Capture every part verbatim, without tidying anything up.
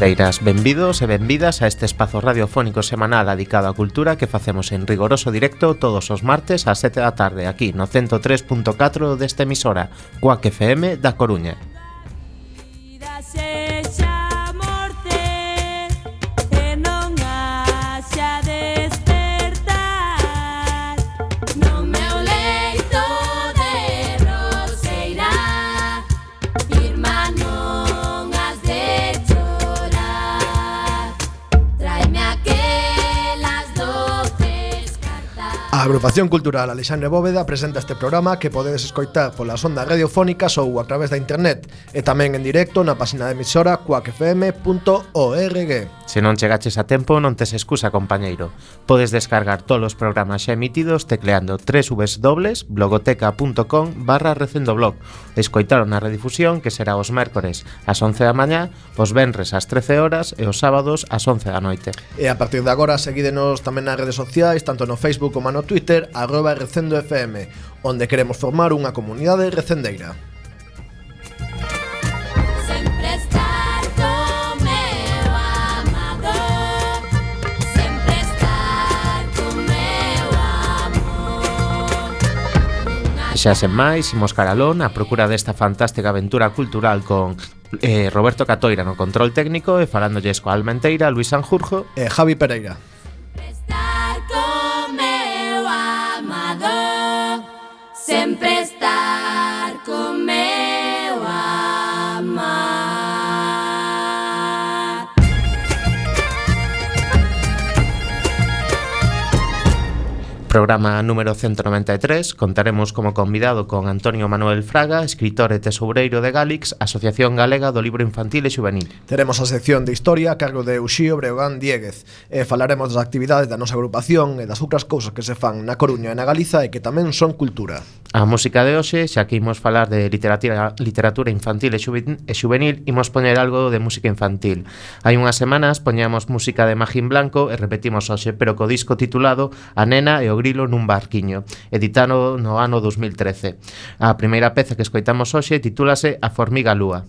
Recendeiras, benvidos e benvidas a este espazo radiofónico semanal dedicado á cultura que facemos en rigoroso directo todos os martes ás sete da tarde aquí no ciento tres punto catro desta emisora, Cuac F M da Coruña. A Agrupación Cultural Alexandre Bóveda presenta este programa que podedes escoitar polas ondas radiofónicas ou a través da internet e tamén en directo na página de emisora cuac f m punto org. Se non chegaches a tempo, non tes excusa, compañeiro. Podes descargar todos os programas xa emitidos tecleando doble u doble u doble u punto blogoteca punto com barra recendoblog. Escoitaron na redifusión que será os mércores ás once da mañá, os venres ás trece horas e os sábados ás once da noite. E a partir de agora seguídenos tamén nas redes sociais, tanto no Facebook como no Twitter, arroba Recendo F M, onde queremos formar unha comunidade recendeira. Xa sen máis, imos caralón a procura desta fantástica aventura cultural con eh, Roberto Catoira no control técnico e falándolles coa Almenteira, Luis Sanjurjo e Javi Pereira. Estar con meu amado, sempre estar con meu amado. Programa número ciento noventa e tres. Contaremos como convidado con Antonio Manuel Fraga, escritor e tesoureiro de Galix, Asociación Galega do Libro Infantil e Xuvenil. Teremos a sección de Historia a cargo de Uxío Breogán Dieguez e falaremos das actividades da nosa agrupación e das outras cousas que se fan na Coruña e na Galiza e que tamén son cultura. A música de hoxe, xa que imos falar de literatura, literatura infantil e xuvenil, imos poñer algo de música infantil. Hai unhas semanas poñamos música de Magín Blanco e repetimos hoxe, pero co disco titulado A nena e o grilo nun barquiño, editado no ano dos mil trece. A primeira peza que escoitamos hoxe titúlase A formiga lúa.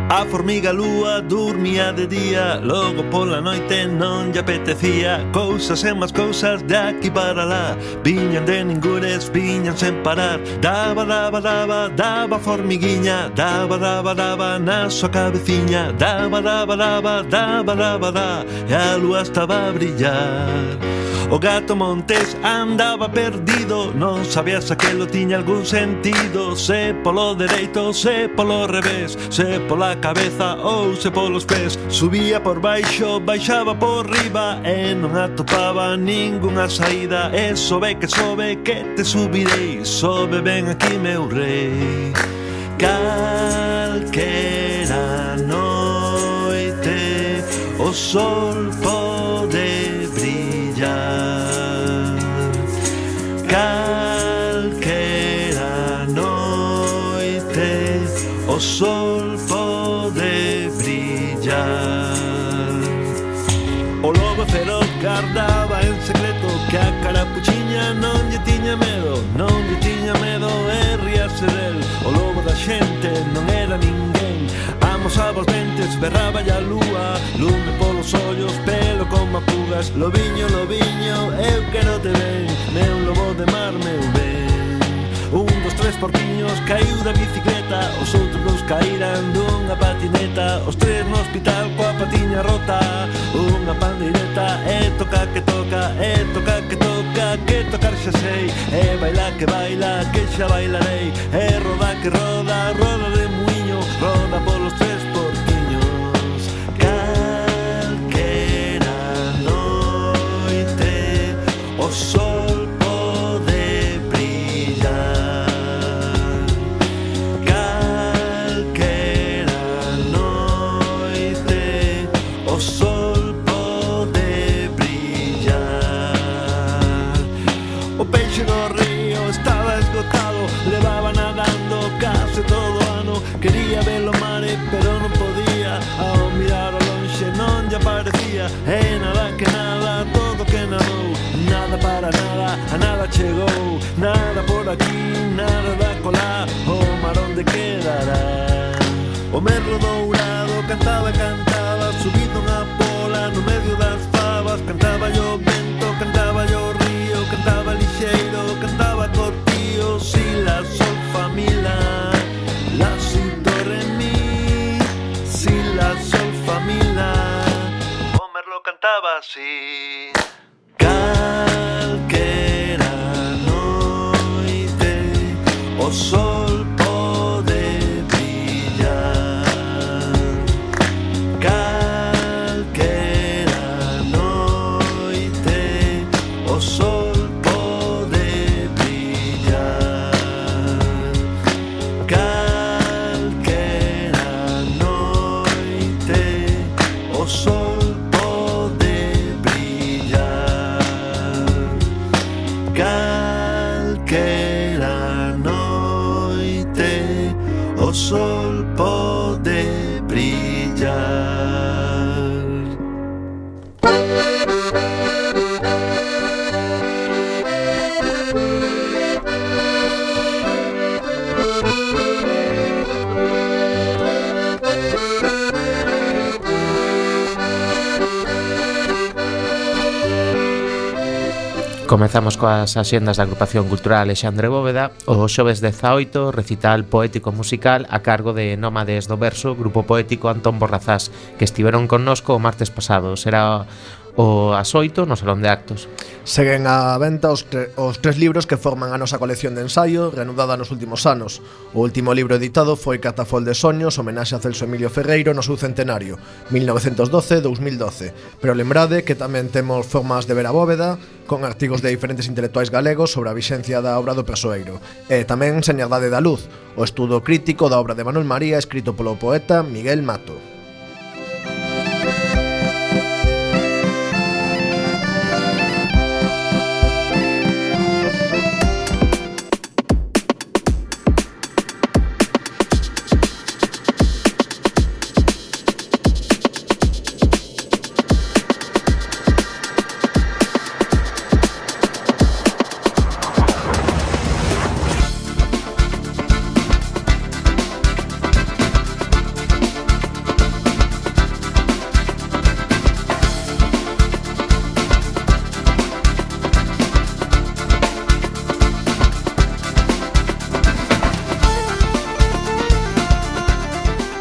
A formiga lúa dormía de día, logo pola noite non lle apetecía. Cousas e máis cousas de aquí para lá, viñan de ningures, viñan sen parar. Daba, daba, daba, daba formiguiña, daba, daba, daba na súa cabeciña. Daba, daba, daba, daba, daba, da, e a lúa estaba a brillar. O gato Montés andaba perdido, non sabía se aquelo tiña algún sentido. Se polo dereito, se polo revés, se pola cabeza ou se polos pés. Subía por baixo, baixaba por riba e non atopaba ningunha saída. E sobe que sobe que te subirei, sobe ben aquí meu rei. Calquera noite o sol pode brillar. Calquera noite o sol pode brillar. O lobo feroz guardaba en secreto que a carapuchiña non lle tiña medo, non lle tiña medo e ríase del. O lobo da xente non era ninguén, amosaba os dentes, berraba a lúa, lume polos ollos, pelo como apugas. Lobiño, lobiño, eu quero te ben, meu lobo de mar, meu ben. Un dos tres porquiños caiu da bicicleta, os outros dos caíran dunha patineta. Os tres no hospital coa patiña rota, unha pandeireta e toca que toca, e toca que toca, que tocar xa sei. E baila que baila, que xa bailarei. E roda que roda, roda de muiño, roda polos tres porquiños. Calquera noite o sol pode brillar. Calquera noite o sol pode brillar. O peixe no río estaba esgotado, levaba nadando case todo o ano. Quería ver o mare, pero non podía. Ao mirar ao lonxe non lle aparecía. E nada que nada, todo que nadou, nada O merlo dourado cantaba, cantaba, subido unha pola no medio das favas. Cantaba yo vento, cantaba yo río, cantaba lixeiro, cantaba cortío. Si la sol fa mi la, la si do re mi, si la sol fa mi la. O merlo cantaba así. Calquera noite o sol pode brillar. Calquera noite o sol pode brillar. Calquera noite o sol pode brillar. Calquera noite o sol pode brillar. Comezamos coas axendas da agrupación cultural Alexandre Bóveda. O xoves dezaoito, recital poético musical a cargo de Nómades do Verso, grupo poético Antón Borrazás, que estiveron connosco o martes pasado. Será o ás oito no Salón de Actos. Seguen á venta os, tre os tres libros que forman a nosa colección de ensaio, reanudada nos últimos anos. O último libro editado foi Catafol de Soños, homenaxe a Celso Emilio Ferreiro no seu centenario, mil novecentos doce a dous mil doce. Pero lembrade que tamén temos Formas de ver a Bóveda, con artigos de diferentes intelectuais galegos sobre a vixencia da obra do persoeiro. E tamén Señaldade da Luz, o estudo crítico da obra de Manuel María, escrito polo poeta Miguel Mato.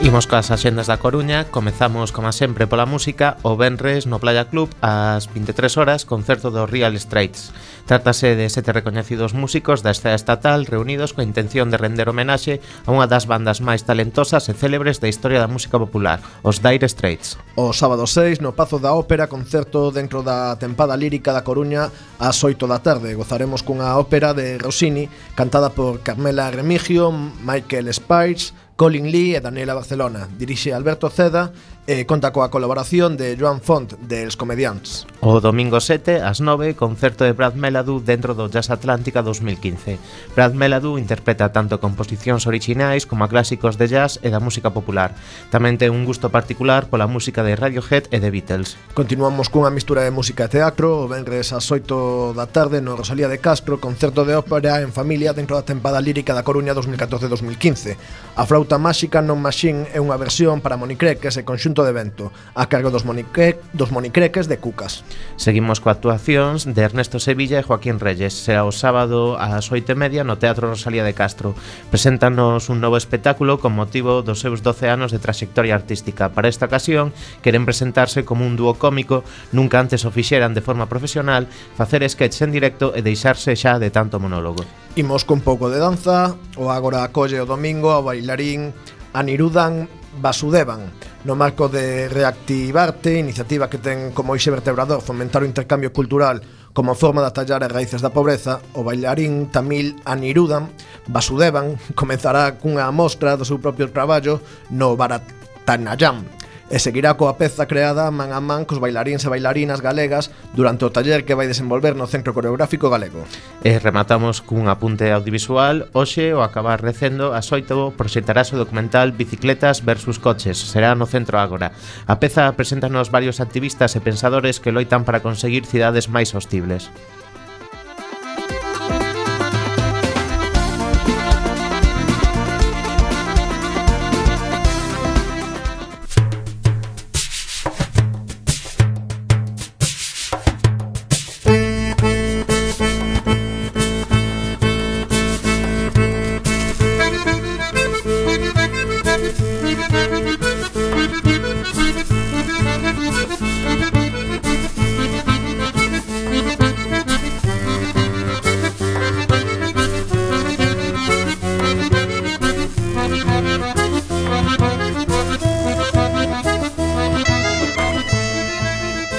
Imos coas axendas da Coruña. Comezamos, como sempre, pola música. O venres no Playa Club ás vinte e tres horas, concerto do Real Straits. Trátase de sete recoñecidos músicos da escena estatal reunidos coa intención de render homenaxe a unha das bandas máis talentosas e célebres da historia da música popular, os Dire Straits. O sábado seis, no Pazo da Ópera, concerto dentro da tempada lírica da Coruña ás oito da tarde. Gozaremos cunha ópera de Rossini cantada por Carmela Remigio, Michael Spiers, Colin Lee e Daniela Barcelona. Dirixe Alberto Ceda e conta coa colaboración de Joan Font, dels Comediants. O domingo sete, ás nove, concerto de Brad Meladu dentro do Jazz Atlántica dos mil quince. Brad Meladu interpreta tanto composicións orixinais como a clásicos de jazz e da música popular. Tamén ten un gusto particular pola música de Radiohead e de Beatles. Continuamos cunha mistura de música e teatro. O venres ás oito da tarde no Rosalía de Castro, concerto de ópera en familia dentro da tempada lírica da Coruña dos mil catorce dos mil quince. A flauta máxica Non Machine é unha versión para monicreques e conxunto de vento, a cargo dos, monicre dos monicreques de Cucas. Seguimos coa actuacións de Ernesto Sevilla e Joaquín Reyes. Será o sábado ás oito e media no Teatro Rosalía de Castro. Preséntanos un novo espectáculo con motivo dos seus doce anos de trayectoria artística. Para esta ocasión, queren presentarse como un dúo cómico, nunca antes o fixeran de forma profesional, facer sketch en directo e deixarse xa de tanto monólogo. Imos con pouco de danza. O agora acolle o domingo ao bailarín Anirudhan Vasudevan, no marco de Reactivarte, iniciativa que ten como eixe vertebrador fomentar o intercambio cultural como forma de atallar as raíces da pobreza. O bailarín tamil Anirudhan Vasudevan comezará cunha mostra do seu propio traballo no Bharatanatyam e seguirá coa peza creada man a man cos bailaríns e bailarinas galegas durante o taller que vai desenvolver no Centro Coreográfico Galego. E rematamos cun apunte audiovisual. Hoxe, ao acabar recendo, ás oito proxectarase o documental Bicicletas versus Coches. Será no Centro Ágora. A peza preséntanos varios activistas e pensadores que loitan para conseguir cidades máis sostibles.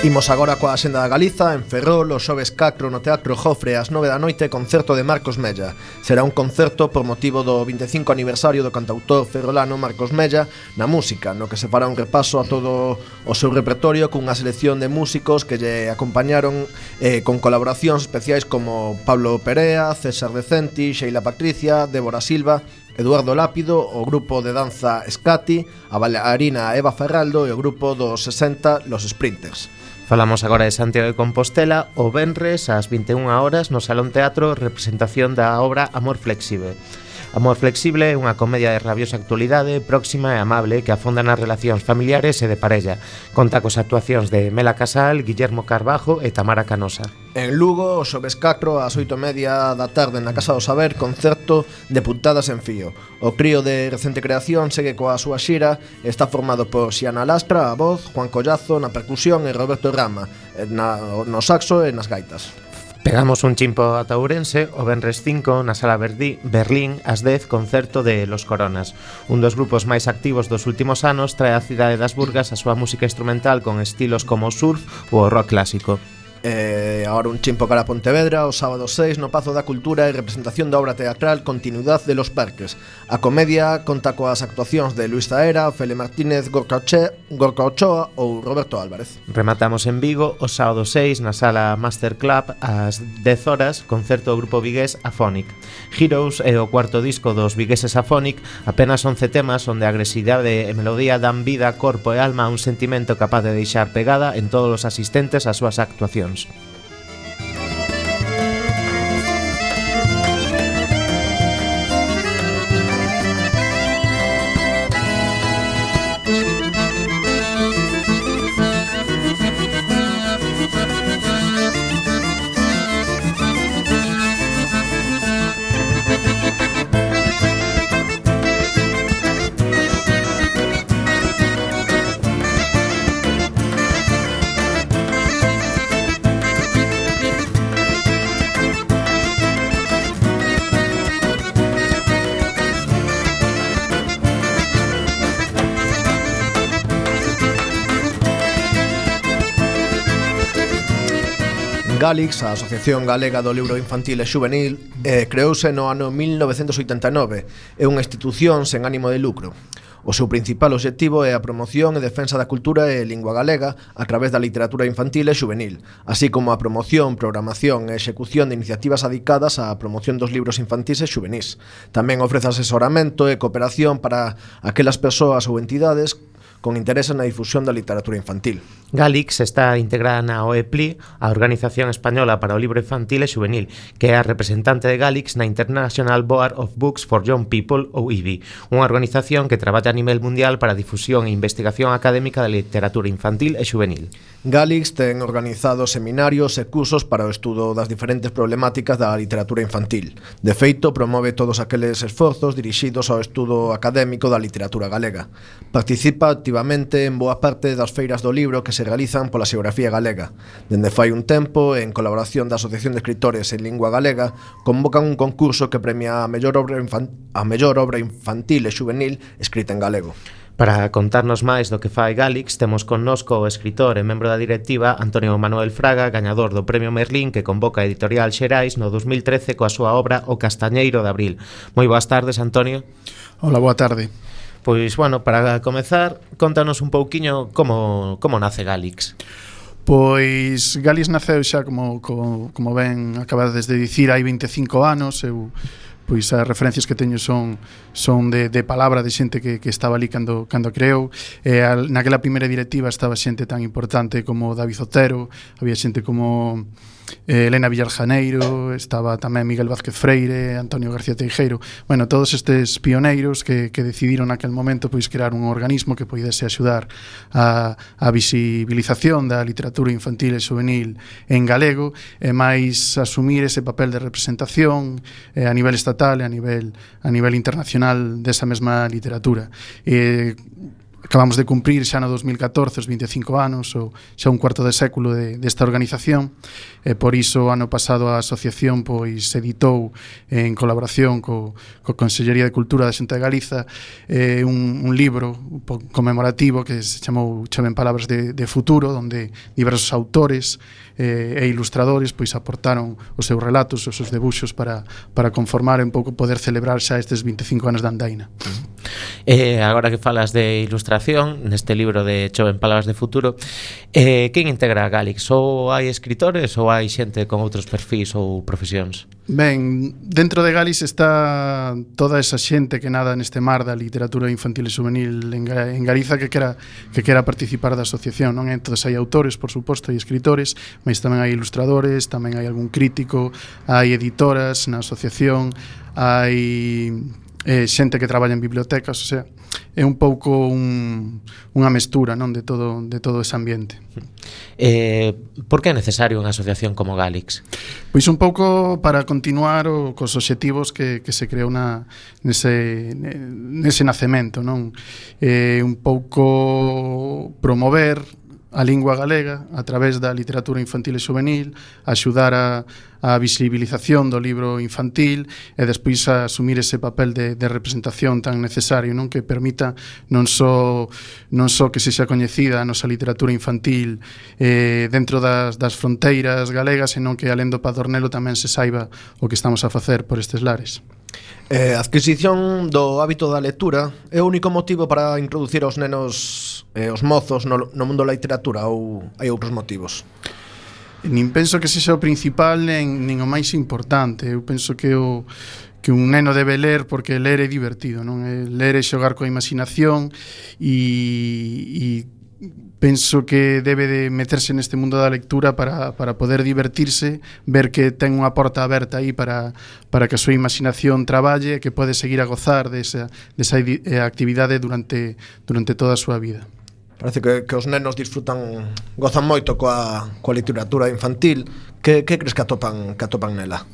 Imos agora coa Axenda da Galiza. En Ferrol, o xoves catro no Teatro Jofre ás nove da noite, concerto de Marcos Mella. Será un concerto por motivo do vinte e cinco aniversario do cantautor ferrolano Marcos Mella na música, no que se fará un repaso a todo o seu repertorio cunha selección de músicos que lle acompañaron eh, con colaboracións especiais como Pablo Perea, César Decenti, Sheila Patricia, Débora Silva, Eduardo Lápido, o grupo de danza Escati, a bailarina Eva Ferraldo e o grupo dos sesenta Los Sprinters. Falamos agora de Santiago de Compostela. O venres ás vinte e unha horas no Salón Teatro, representación da obra Amor Flexible. Amor Flexible é unha comedia de rabiosa actualidade, próxima e amable, que afonda nas relacións familiares e de parella. Conta cos actuacións de Mela Casal, Guillermo Carbajo e Tamara Canosa. En Lugo, o xoves catro ás oito e media da tarde na Casa do Saber, concerto de Puntadas en Fío. O crío de recente creación segue coa súa xira e está formado por Xiana Lastra, a voz, Juan Collazo na percusión e Roberto Rama na, no saxo e nas gaitas. Pegamos un chimpo ata Ourense. O venres cinco na Sala Verdi, Berlín, ás dez, concerto de Los Coronas. Un dos grupos máis activos dos últimos anos, trae á cidade das Burgas a súa música instrumental con estilos como o surf ou o rock clásico. E agora un chimpo cara a Pontevedra. O sábado seis no Pazo da Cultura e representación da obra teatral Continuidad de los Parques. A comedia conta coas actuacións de Luis Zaera, Fele Martínez, Gorka Ochoa ou Roberto Álvarez. Rematamos en Vigo o sábado seis na Sala Master Club ás dez horas, concerto do grupo vigués Afonic. Heroes é o cuarto disco dos vigueses Afonic, apenas once temas onde a agresividade e melodía dan vida, corpo e alma a un sentimento capaz de deixar pegada en todos os asistentes ás súas actuacións. Galix, a Asociación Galega do Libro Infantil e Xuvenil, eh, creouse no ano mil novecentos oitenta e nove. É unha institución sen ánimo de lucro. O seu principal obxectivo é a promoción e defensa da cultura e lingua galega a través da literatura infantil e xuvenil, así como a promoción, programación e execución de iniciativas adicadas á promoción dos libros infantis e xuvenís. Tamén ofrece asesoramento e cooperación para aquelas persoas ou entidades con interese na difusión da literatura infantil. Galix está integrada na O E P L I, a Organización Española para o Libro Infantil e Xuvenil, que é a representante de Galix na International Board of Books for Young People, ou I B I, unha organización que traballa a nivel mundial para a difusión e investigación académica da literatura infantil e xuvenil. Galix ten organizado seminarios e cursos para o estudo das diferentes problemáticas da literatura infantil. De feito, promove todos aqueles esforzos dirixidos ao estudo académico da literatura galega. Participa activamente en boa parte das feiras do libro que se realizan pola xeografía galega. Dende fai un tempo, en colaboración da Asociación de Escritores en Lingua Galega, convocan un concurso que premia a mellor obra, infan- a mellor obra infantil e xuvenil escrita en galego. Para contarnos máis do que fai Galix, temos connosco o escritor e membro da directiva Antonio Manuel Fraga, gañador do Premio Merlín que convoca a Editorial Xerais no dos mil trece coa súa obra O Castañeiro de Abril. Moi boas tardes, Antonio. Hola, boa tarde. Pois, bueno, para comezar, contanos un pouquiño como, como nace Galix. Pois Galix naceu xa, como, como, como ben acabades de dicir, hai vinte e cinco anos. Eu, pois as referencias que teño son son de, de palabra de xente que, que estaba ali cando, cando creou. E al, naquela primeira directiva estaba xente tan importante como David Otero, había xente como eh, Elena Villar Janeiro, estaba tamén Miguel Vázquez Freire, Antonio García Teijeiro, bueno, todos estes pioneiros que, que decidiron naquel momento pois crear un organismo que poidese axudar a, a visibilización da literatura infantil e juvenil en galego e máis asumir ese papel de representación eh, a nivel estatal e a nivel, a nivel internacional desa mesma literatura. E acabamos de cumprir xa no dos mil catorce os veinticinco anos, ou xa un cuarto de século de, desta organización, e por iso ano pasado a asociación pois editou en colaboración co, co Consellería de Cultura da Xunta de Galiza eh, un, un libro un conmemorativo que se chamou Choven Palabras de, de Futuro, onde diversos autores eh, e ilustradores pois aportaron os seus relatos, os seus debuxos para, para conformar un pouco poder celebrar xa estes veinticinco anos da andaina. Eh, agora que falas de ilustración neste libro de Choven Palabras de Futuro, eh, quen integra a Galix? Ou hai escritores ou hai xente con outros perfis ou profesións? Ben, dentro de Galix está toda esa xente que nada neste mar da literatura infantil e juvenil en, en Galiza que quera, que quera participar da asociación, non? Entón hai autores, por suposto, hai escritores, mas tamén hai ilustradores, tamén hai algún crítico, hai editoras na asociación, hai eh, xente que traballa en bibliotecas, o sea, é un pouco un, unha mestura, non, de todo de todo ese ambiente. Eh, por que é necesario unha asociación como Galix? Pois un pouco para continuar o, cos obxectivos que, que se creou na, nese, nese nacemento, non? Eh, un pouco promover a lingua galega a través da literatura infantil e juvenil, axudar a, a visibilización do libro infantil e despois a asumir ese papel de, de representación tan necesario, non, que permita non só non só que sexa coñecida a nosa literatura infantil eh, dentro das, das fronteiras galegas, senón que alén do Padornelo tamén se saiba o que estamos a facer por estes lares. Eh, a adquisición do hábito da lectura é o único motivo para introducir aos nenos e eh, os mozos no, no mundo da literatura ou hai outros motivos? Nin penso que sexa o principal nin, nin o máis importante. Eu penso que o que un neno debe ler porque ler é divertido, non? Ler é xogar coa imaginación e, e penso que debe de meterse neste mundo da lectura para, para poder divertirse, ver que ten unha porta aberta aí para, para que a súa imaginación traballe e que pode seguir a gozar desa, desa actividade durante, durante toda a súa vida. Parece que, que os nenos disfrutan, gozan moito coa, coa literatura infantil. Que, que crees que atopan, que atopan nela?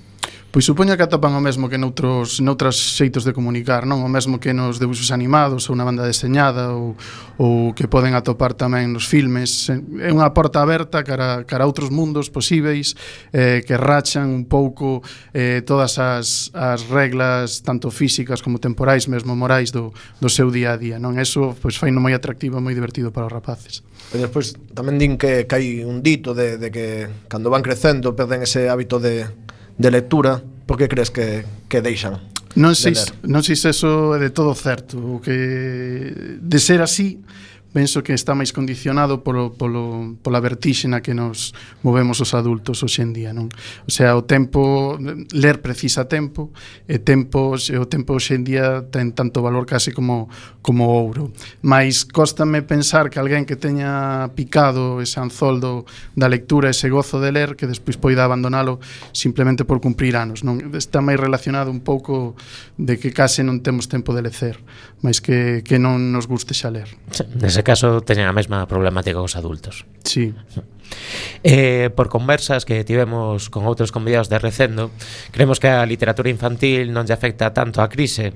Pois supoño que atopan o mesmo que noutros, noutros xeitos de comunicar, non? O mesmo que nos debuxos animados ou na banda deseñada ou, ou que poden atopar tamén nos filmes. É unha porta aberta cara, cara a outros mundos posíveis eh, que rachan un pouco eh, todas as, as reglas tanto físicas como temporais, mesmo morais do, do seu día a día, non? Eso pois faino moi atractivo e moi divertido para os rapaces. E despois tamén din que, que hai un dito de, de que cando van crecendo perden ese hábito de de lectura. Por que crees que, que deixan non sei, de ler? Non sei se eso é de todo certo. O que de ser así penso que está máis condicionado polo, polo, pola vertixe na que nos movemos os adultos hoxe en día, non? O sea, o tempo, ler precisa tempo, e tempo, o tempo hoxe en día ten tanto valor case como, como ouro. Mais cóstame pensar que alguén que teña picado ese anzoldo da lectura, ese gozo de ler, que despois poida abandonalo simplemente por cumprir anos, non? Está máis relacionado un pouco de que case non temos tempo de lecer, máis que, que non nos guste xa ler. Nese caso teñen a mesma problemática que os adultos. Sí. Eh, por conversas que tivemos con outros convidados de Recendo, creemos que a literatura infantil non lle afecta tanto a crise.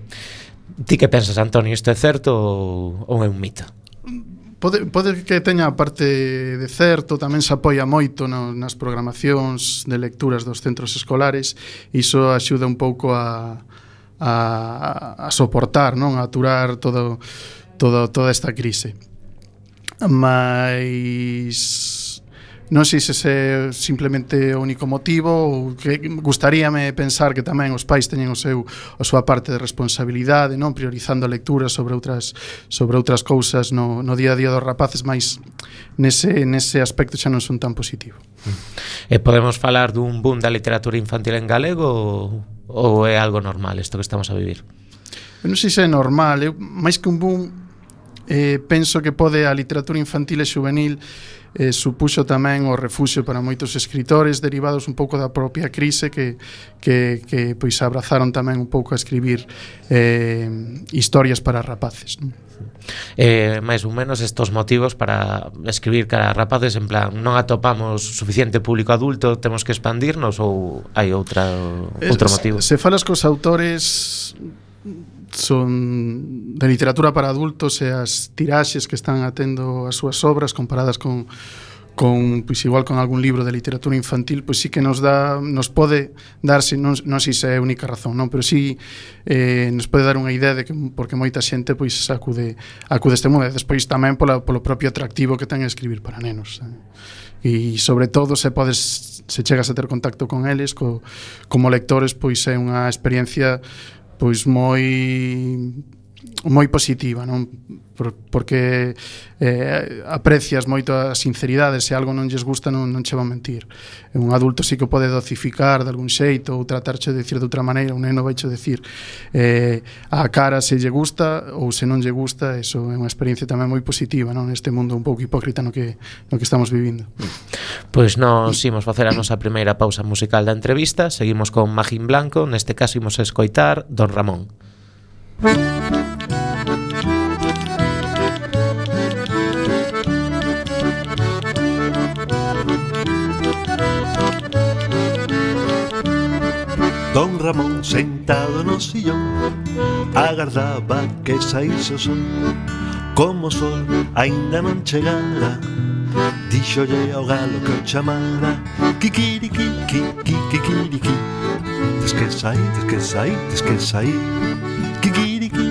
Ti que pensas, Antonio, isto é certo ou, ou é un mito? Pode, pode que teña a parte de certo, tamén se apoia moito no, nas programacións de lecturas dos centros escolares, e iso axuda un pouco a, a, a soportar, non? A aturar todo, todo, toda esta crise. Mas non sei se é simplemente o único motivo, ou que gustaríame pensar que tamén os pais teñen o seu a súa parte de responsabilidade, non, priorizando a lectura sobre outras sobre outras cousas no, no día a día dos rapaces, mas nese nese aspecto xa non son tan positivo. E podemos falar dun boom da literatura infantil en galego ou é algo normal isto que estamos a vivir? Eu non sei se é normal, eu, máis que un boom, eh, penso que pode a literatura infantil e xuvenil eh, supuxo tamén o refuxio para moitos escritores derivados un pouco da propia crise que, que, que pois abrazaron tamén un pouco a escribir eh, historias para rapaces, non? Eh, máis ou menos estos motivos para escribir cara a rapaces, en plan, non atopamos suficiente público adulto, temos que expandirnos, ou hai outra outro motivo? Se, se falas cos autores son de literatura para adultos e as tiraxes que están atendo as súas obras comparadas con con pois igual con algún libro de literatura infantil, pois sí que nos dá nos pode darse, non, non sei se é a única razón, non, pero sí eh, nos pode dar unha idea de que porque moita xente pois acude acude este mundo, e despois tamén pola, polo propio atractivo que ten escribir para nenos, eh. E sobre todo se podes se chegas a ter contacto con eles co, como lectores, pois é unha experiencia pois moi moi positiva, non? Por, porque eh, aprecias moito a sinceridade, se algo non lles gusta non, non che van mentir. Un adulto sí que pode docificar de algún xeito ou tratarche de dicir de outra maneira, un neno vai che dicir eh, a cara se lle gusta ou se non lle gusta, eso é unha experiencia tamén moi positiva, non? Neste mundo un pouco hipócrita no que, no que estamos vivindo. Pois nos imos facer a nosa primeira pausa musical da entrevista, seguimos con Magín Blanco, neste caso imos a escoitar Don Ramón. Don Ramón sentado no sillón agardaba que saíse o sol. Como o sol aínda non chegara, díxolle ao galo que o chamara. Kikiriki, kikiriki, tes que sair, tes que sair, tes que sair. Kikiriki,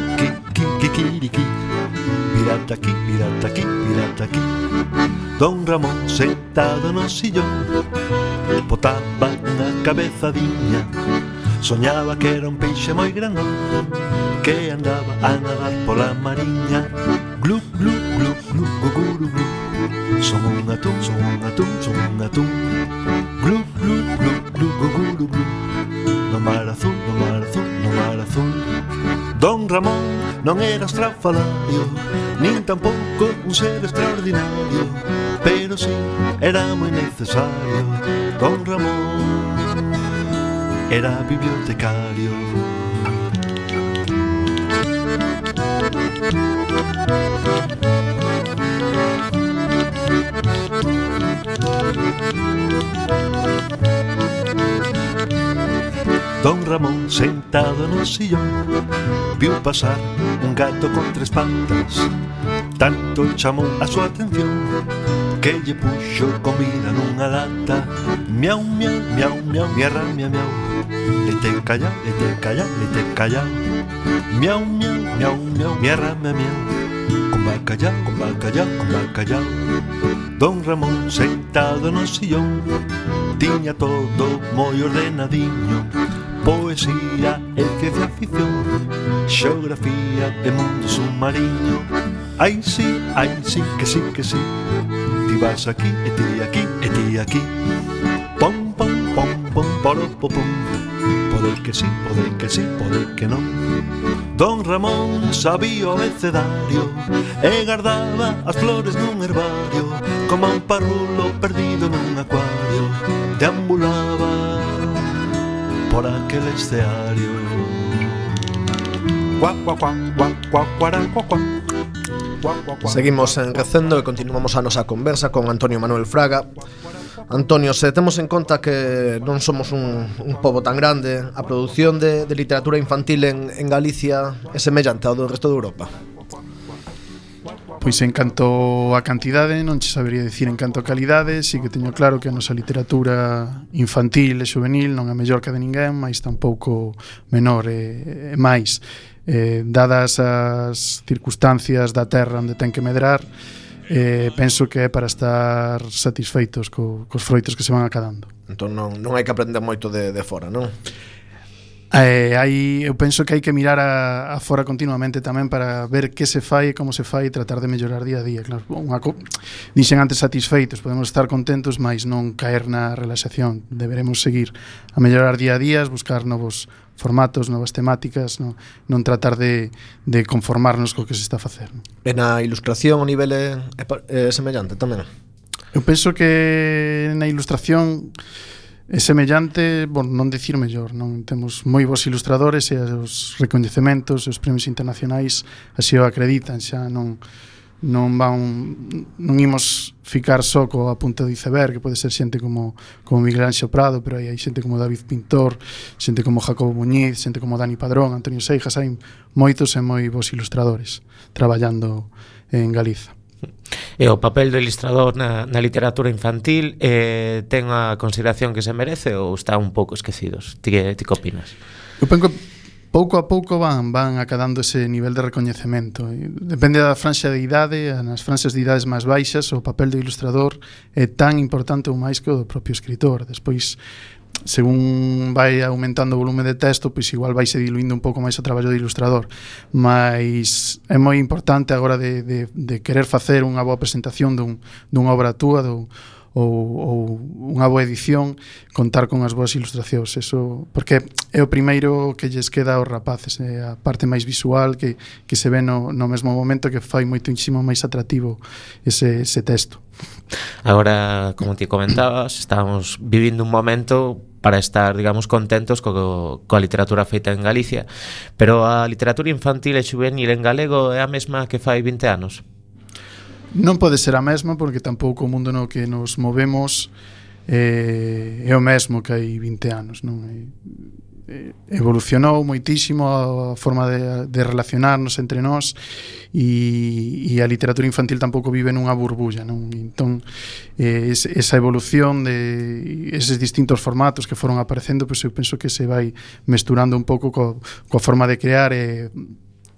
kikiriki, mirad aquí, mirad aquí, mirad aquí. Don Ramón sentado no sillón botaba unha cabezadiña. Soñaba que era un peixe moi grandón que andaba a nadar pola mariña. Glu, glu, glu, glu, guguru, glu. Son un atún, son un atún, son un atún. Glu, glu, glu, glu, guguru, glu. No mar azul, no mar azul, no mar azul. Don Ramón non era estrafalario, nin tampouco un ser extraordinario, pero sí era moi necesario. Don Ramón era bibliotecario. Don Ramón sentado no sillón viu pasar un gato con tres patas. Tanto chamou a súa atención que lle puxo comida nunha lata. Miau, miau, miau, miau, miarra, miau, miau. Leite callao, leite callao, leite callao. Miau, miau, miau, miau, miarra, miau, miau. Con bacallao, con bacallao, con bacallao. Don Ramón sentado no sillón tiña todo moi ordenadiño. Poesía e ciencia ficción, xeografía e mundo submarino. Ai sí, ai sí, que sí, que sí. Ti vas aquí, e ti aquí, e ti aquí. Pom, pom, pom, pom, poro, pom, pom. Pode que sí, pode que sí, pode que non. Don Ramón sabía o abecedario e guardaba as flores nun herbario. Como un parrulo perdido nun acuario, deambulaba por aquel escenario. Guau, guau, guau, guau, guau, guau, guau, guau. Seguimos en Recendo e continuamos a nosa conversa con Antonio Manuel Fraga. Antonio, se temos en conta que non somos un, un pobo tan grande, a produción de, de literatura infantil en, en Galicia é semellante ao do resto de Europa? Pois en canto a cantidade non che sabería dicir, en canto a calidade sí que teño claro que a nosa literatura infantil e juvenil non é mellor que a de ninguén, mas tampouco menor e, e máis eh, dadas as circunstancias da terra onde ten que medrar, eh, penso que é para estar satisfeitos co, cos froitos que se van acadando. Entón non, non hai que aprender moito de, de fora, non? Eh, hai, eu penso que hai que mirar a, a fora continuamente tamén para ver que se fai e como se fai e tratar de mellorar día a día. Claro, unha co- dixen antes satisfeitos, podemos estar contentos, mas non caer na relaxación. Deberemos seguir a mellorar día a día, buscar novos formatos, novas temáticas, non, non tratar de, de conformarnos co que se está a facer. Non? E na ilustración o nivel é, é, é semellante tamén? Eu penso que na ilustración é semellante, bon, non dicir mellor, non temos moi bons ilustradores e os recoñecementos, os premios internacionais así o acreditan, xa non non van non imos ficar só co a punta do iceberg, que pode ser xente como como Miguel Anxo Prado, pero aí hai xente como David Pintor, xente como Jacobo Muñiz, xente como Dani Padrón, Antonio Seijas, hai moitos e moi bons ilustradores traballando en Galiza. E o papel do ilustrador na, na literatura infantil eh, ten a consideración que se merece ou está un pouco esquecidos? Ti que, ti que opinas? Eu penso que pouco a pouco van van acadando ese nivel de recoñecemento. Depende da franxa de idade, nas franxas de idades máis baixas o papel do ilustrador é tan importante ou máis que o do propio escritor. Despois, según vai aumentando o volume de texto, pois igual vai se diluindo un pouco máis o traballo do ilustrador, mas é moi importante agora de, de, de querer facer unha boa presentación dun, dunha obra túa do, ou, ou unha boa edición, contar con as boas ilustracións, eso, porque é o primeiro que lles queda aos rapaces, é a parte máis visual que, que se ve no, no mesmo momento, que fai moitísimo máis atractivo ese, ese texto. Agora, como ti comentabas, estamos vivindo un momento para estar, digamos, contentos co, coa literatura feita en Galicia, pero a literatura infantil e xuvenil en galego é a mesma que fai vinte anos? Non pode ser a mesma, porque tampouco o mundo no que nos movemos eh, é o mesmo que hai vinte anos, non? E, evolucionou moitísimo a forma de, de relacionarnos entre nós e, e a literatura infantil tampouco vive nunha burbulla, non? Entón, eh, es, esa evolución de eses distintos formatos que foron aparecendo, pois eu penso que se vai mesturando un pouco co, coa forma de crear e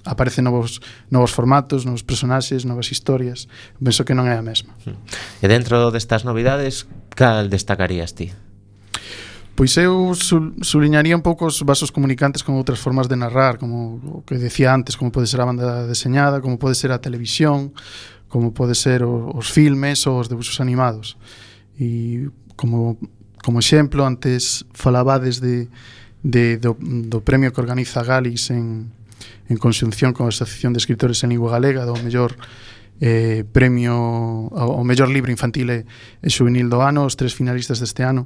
aparecen novos, novos formatos, novos personaxes, novas historias. Penso que non é a mesma. E dentro destas novidades, cal destacarías ti? Pois eu suliñaría un pouco os vasos comunicantes con outras formas de narrar, como o que decía antes, como pode ser a banda deseñada, como pode ser a televisión, como pode ser os filmes ou os debuxos animados. E como, como exemplo, antes falabades de, de, do, do premio que organiza Galis en, en conxunción con a Asociación de Escritores en Lingua Galega, do mellor eh, premio, o mellor libro infantil e, e xuvenil do ano. Os tres finalistas deste ano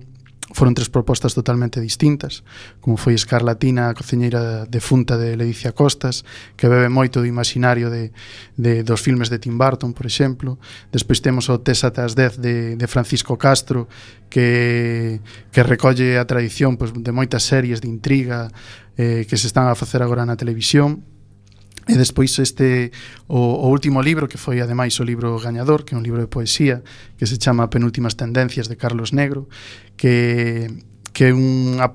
foron tres propostas totalmente distintas, como foi Escarlatina, a cociñeira defunta de Ledicia Costas, que bebe moito do imaginario de, de, dos filmes de Tim Burton, por exemplo. Despois temos o Tes ata as dez de, de Francisco Castro, que, que recolle a tradición pois, de moitas series de intriga eh, que se están a facer agora na televisión. E despois este o, o último libro, que foi ademais o libro gañador, que é un libro de poesía que se chama Penúltimas tendencias, de Carlos Negro, que que unha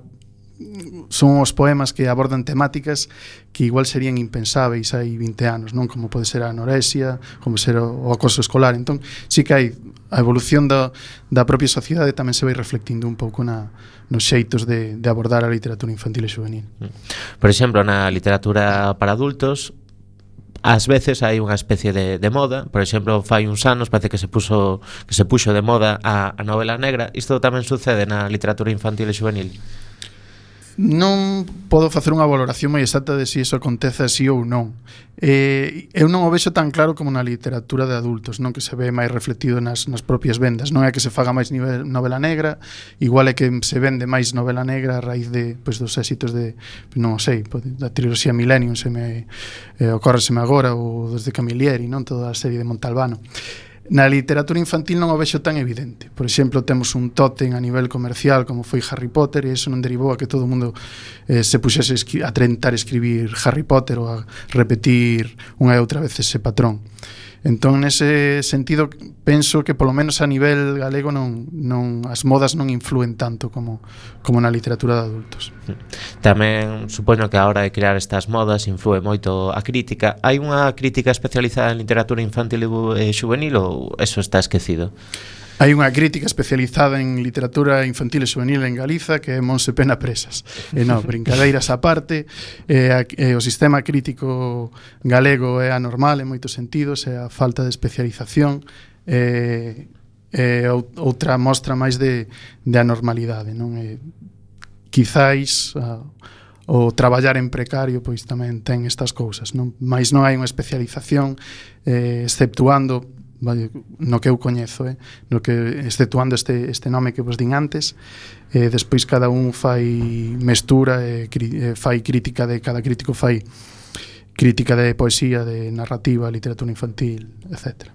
son os poemas que abordan temáticas que igual serían impensáveis hai vinte anos, non? Como pode ser a anorexia, como ser o, o acoso escolar. Entón, sí que hai a evolución da, da propia sociedade, tamén se vai reflectindo un pouco na, nos xeitos de, de abordar a literatura infantil e juvenil. Por exemplo, na literatura para adultos, ás veces hai unha especie de, de moda. Por exemplo, fai uns anos parece que se puso que se puxo de moda a, a novela negra. Isto tamén sucede na literatura infantil e juvenil? Non podo facer unha valoración moi exacta de se si iso acontece así ou non. Eh, eu non o vexo tan claro como na literatura de adultos, non, que se ve máis reflectido nas, nas propias vendas. Non é que se faga máis nivel, novela negra, igual é que se vende máis novela negra a raíz de, pois, dos éxitos de, non sei, da triloxía Millennium, se me eh, ocórreseme agora, ou dos de Camilleri, non, toda a serie de Montalbano. Na literatura infantil non o vexo tan evidente. Por exemplo, temos un tótem a nivel comercial como foi Harry Potter, e iso non derivou a que todo o mundo eh, se puxese a tentar escribir Harry Potter ou a repetir unha e outra vez ese patrón. Entón, nese sentido, penso que polo menos a nivel galego non, non as modas non influen tanto como, como na literatura de adultos. Tamén supoño que a hora de crear estas modas influe moito a crítica. Hai unha crítica especializada en literatura infantil e juvenil ou eso está esquecido? Hai unha crítica especializada en literatura infantil e juvenil en Galiza, que é Monse Pena Presas. E non, brincadeiras á parte, e, a, e o sistema crítico galego é anormal en moitos sentidos, é a falta de especialización, e, e outra mostra máis de, de anormalidade, non? E, quizáis a, o traballar en precario pois tamén ten estas cousas, non? Mais non hai unha especialización eh, exceptuando no que eu coñezo, eh, no que exceptuando este este nome que vos din antes, eh, despois cada un fai mestura e eh, fai crítica de cada crítico fai crítica de poesía, de narrativa, literatura infantil, etcétera.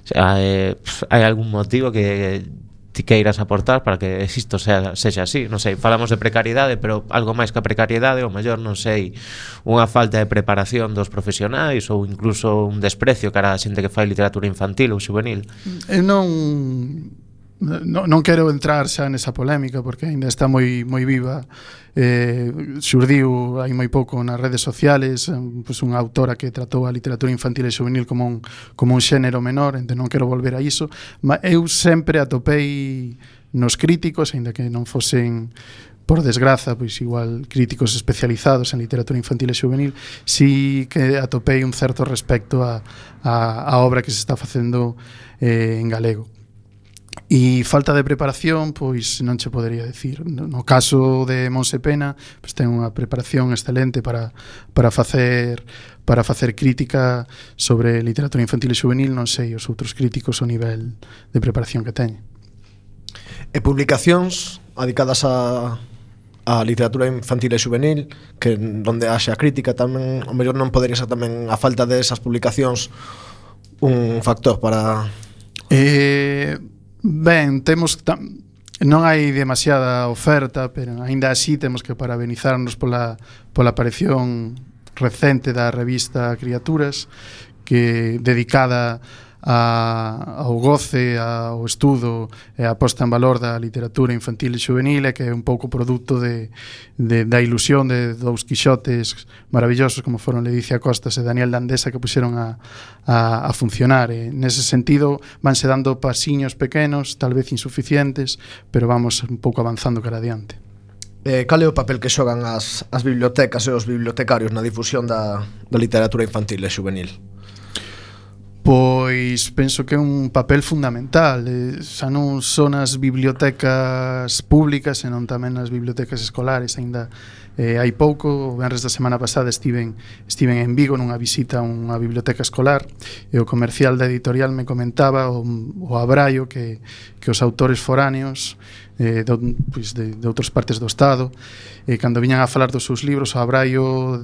O sea, eh, hai algún motivo que ti queiras aportar para que isto sea, sexa así? Non sei, falamos de precariedade, pero algo máis que a precariedade, ou mellor, non sei, unha falta de preparación dos profesionais ou incluso un desprecio cara a xente que fai literatura infantil ou juvenil. Eu non non, non quero entrar xa nesa polémica porque ainda está moi moi viva. Eh, xurdiu hai moi pouco nas redes sociales pois unha autora que tratou a literatura infantil e juvenil como un, como un xénero menor, entón non quero volver a iso, mas eu sempre atopei nos críticos, aínda que non fosen por desgraza, pois igual críticos especializados en literatura infantil e juvenil, si que atopei un certo respecto a, a, a obra que se está facendo eh, en galego. E falta de preparación, pois non che podería decir. No caso de Monse Pena, pois ten unha preparación excelente para para facer para facer crítica sobre literatura infantil e juvenil, non sei os outros críticos o nivel de preparación que teñen. E publicacións dedicadas a a literatura infantil e juvenil, que onde haxa crítica tamén, o mellor non podería ser tamén a falta desas publicacións un factor para... Eh... Ben, temos tam, non hai demasiada oferta, pero aínda así temos que parabenizarnos pola, pola aparición recente da revista Criaturas, que dedicada a, ao goce, ao estudo e a posta en valor da literatura infantil e juvenil, e que é un pouco produto de, de, da ilusión de dous quixotes maravillosos como foron Ledicia Costas e Daniel Landesa, que puxeron a, a, a funcionar. E nese sentido vanse dando pasiños pequenos, tal vez insuficientes, pero vamos un pouco avanzando cara adiante. Eh, cal é o papel que xogan as, as bibliotecas e os bibliotecarios na difusión da, da literatura infantil e juvenil? Pois penso que é un papel fundamental, eh, xa non son as bibliotecas públicas, senón tamén as bibliotecas escolares. Aínda eh, hai pouco, o venres da semana pasada estiven, estiven en Vigo nunha visita a unha biblioteca escolar, e o comercial da editorial me comentaba o, o abraio que, que os autores foráneos eh, de, pois de, de outras partes do Estado, eh, cando viñan a falar dos seus libros, o abraio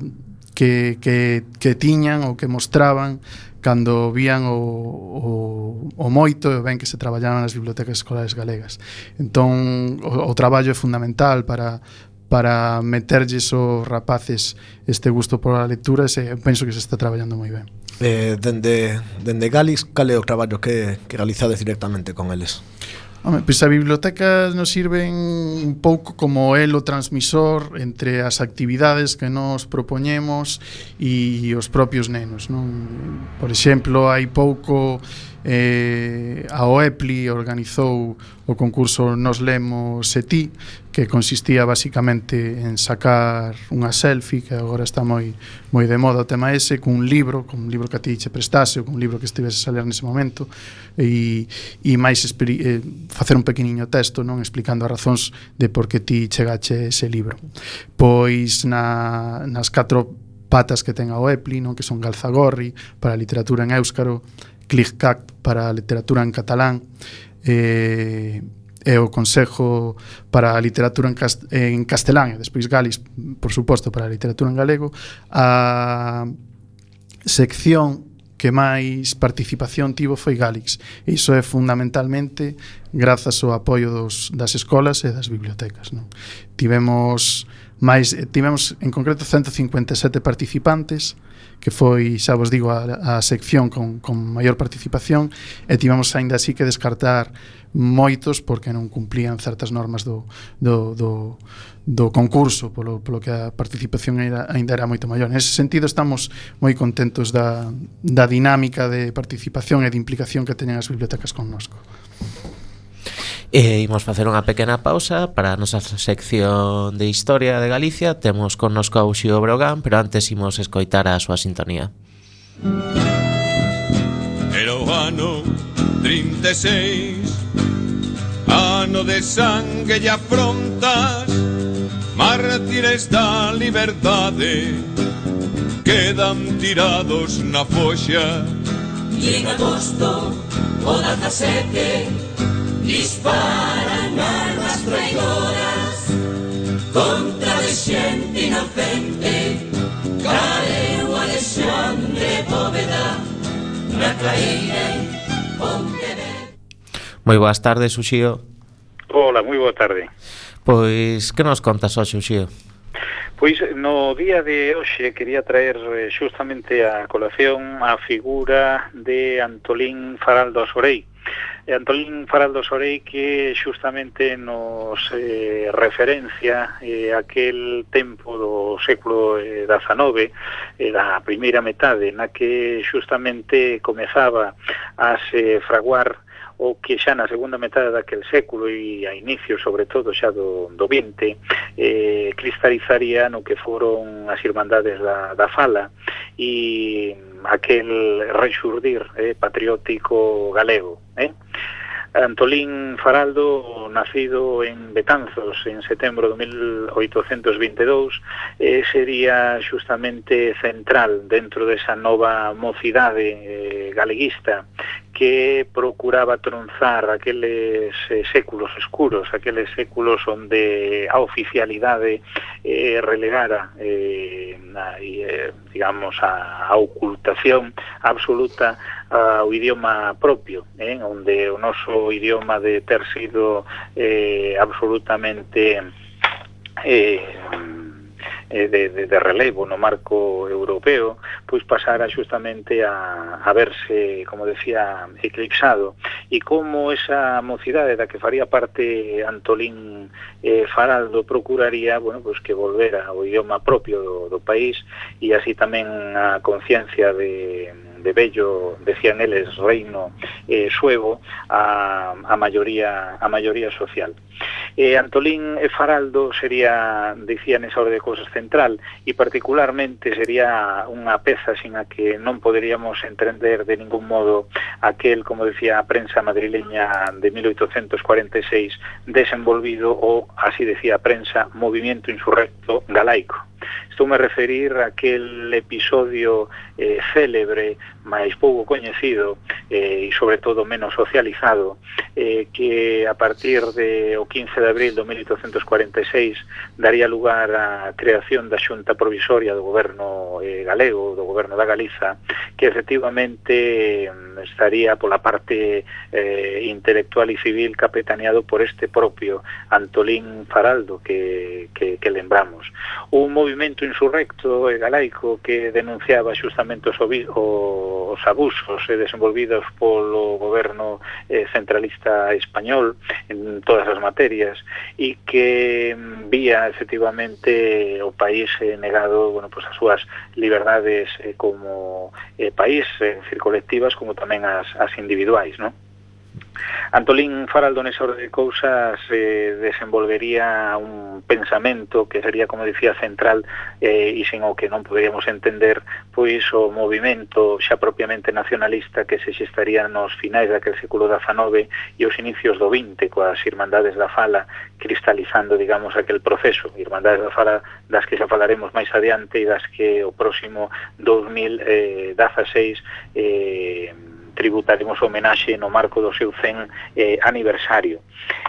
que, que, que tiñan ou que mostraban cando vían o, o, o moito e ben que se traballaban nas bibliotecas escolares galegas. Entón, o, o traballo é fundamental para, para meterlles aos rapaces este gusto pola lectura, e penso que se está traballando moi ben. Eh, dende, dende Galis, cal é o traballo que, que realizades directamente con eles? Home, pois as bibliotecas nos sirven un pouco como elo transmisor entre as actividades que nos propoñemos e os propios nenos, non? Por exemplo, hai pouco eh, a O E P L I organizou o concurso Nos Lemos e Ti, que consistía basicamente en sacar unha selfie, que agora está moi moi de moda o tema ese, cun libro, cun libro que a ti che prestase, ou cun libro que estivese a ler nese momento, e, e máis eh, facer un pequeniño texto, non, explicando as razóns de por que ti chegache ese libro. Pois na, nas catro patas que ten a O E P L I, non, que son Galzagorri para a literatura en éuscaro, Clic-Cac para a literatura en catalán, eh, e o Consejo para a literatura en, cast en castelán, e despois Galis, por suposto, para a literatura en galego. A sección que máis participación tivo foi Galix, e iso é fundamentalmente grazas ao apoio dos, das escolas e das bibliotecas, non? Tivemos máis, tivemos en concreto ciento cincuenta e sete participantes, que foi, xa vos digo, a, a sección con, con maior participación, e tivemos aínda así que descartar moitos porque non cumplían certas normas do, do, do, do concurso, polo, polo que a participación era, ainda era moito maior. En ese sentido estamos moi contentos da, da dinámica de participación e de implicación que teñen as bibliotecas connosco. E imos facer unha pequena pausa para a nosa sección de Historia de Galicia. Temos connosco a Uxío Brogan, pero antes imos escoitar a súa sintonía. Era o ano trinta e seis, ano de sangue e afrontas, mártires da liberdade, quedan tirados na foxa. E en agosto, o dezasete, disparan armas traidoras contra de xente inocente. Careu Alexandre Bóveda na claeira en Pontevedra. Moi boas tardes, Uxío. Hola, moi boa tarde. Pois, que nos contas hoxe, Uxío? Pois no día de hoxe quería traer justamente a colación a figura de Antolín Faraldo Sorei. Antolín Faraldo Sorei que justamente nos eh, referencia eh, aquel tempo do século dezenove, eh, da primeira metade, na que justamente comezaba a se fraguar o que xa na segunda metade daquel século e a inicio, sobre todo, xa do, do vinte, eh, cristalizaría no que foron as Irmandades da, da Fala e aquel rexurdir eh, patriótico galego. Eh? Antolín Faraldo, nacido en Betanzos en setembro de mil oitocentos vinte e dous, eh, sería justamente central dentro desa nova mocidade eh, galeguista que procuraba tronzar aqueles eh, séculos escuros, aqueles séculos onde a oficialidade eh, relegara eh, a, eh, digamos a, a ocultación absoluta ao idioma propio, eh, onde o noso idioma de ter sido eh, absolutamente eh, De, de, de relevo no marco europeo, pois pasara justamente a, a verse, como decía, eclipsado. E como esa mocidade da que faría parte Antolín eh, Faraldo procuraría, bueno, pois que volvera ao idioma propio do, do país e así tamén a conciencia de de bello, decían eles, reino eh, suevo a, a maioría a maioría social. Eh, Antolín Faraldo sería, dicían esa orde de cousas central, e particularmente sería unha peza sin a que non poderíamos entender de ningún modo aquel, como decía a prensa madrileña de mil oitocentos cuarenta e seis, desenvolvido o, así decía a prensa, movimiento insurrecto galaico. Estou me referir a aquel episodio eh, célebre, máis pouco coñecido eh, e sobre todo menos socializado, eh, que a partir de o quince de abril de mil oitocentos cuarenta e seis daría lugar á creación da Xunta Provisoria do goberno eh, galego, do goberno da Galiza, que efectivamente estaría pola parte eh, intelectual e civil capitaneado por este propio Antolín Faraldo que, que, que lembramos. Un movimento insurrecto e galaico que denunciaba justamente os, os abusos eh, desenvolvidos polo goberno eh, centralista español en todas as materias e que vía efectivamente o país eh, negado, bueno, pues as súas liberdades eh, como eh, país, eh, colectivas, como tamén as, as individuais, non? Antolín Faraldo nesa orde de cousas eh, desenvolvería un pensamento que sería, como dicía, central eh, e sin o que non poderíamos entender pois o movimento xa propiamente nacionalista que se xestaría nos finais daquele século dezenove e os inicios do vinte coas Irmandades da Fala cristalizando, digamos, aquel proceso. Irmandades da Fala das que xa falaremos máis adiante e das que o próximo dos mil dezaseis eh, tributaremos homenaxe no marco do seu cen eh, aniversario.